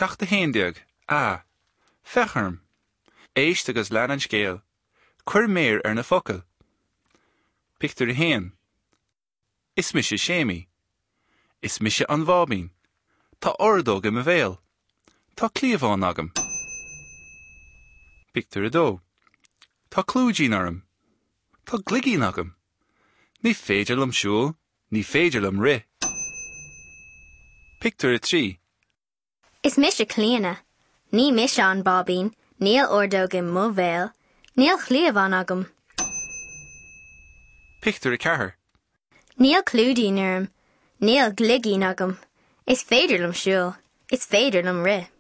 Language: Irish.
Ceacht 11, A, Féach orm! Éist agus lean an scéal. Cuir méar ar na focail. Pictiúr 1. Is mise Séimí. Is mise an bháibín. Tá ordóg i mo bhéal. Tá cliabhán agam. Pictiúr 2. Tá clúidín orm. Tá gloigín agam. Ní féidir liom siúl, ní féidir liom rith. Pictiúr 3. Is mise Clíona. Ní mise an báibín, níl ordóg i mo bhéal, níl cliabhán agam. Pictiúr 4. Níl clúidín orm, níl gloigín agam. Is féidir liom siúl, is féidir liom rith.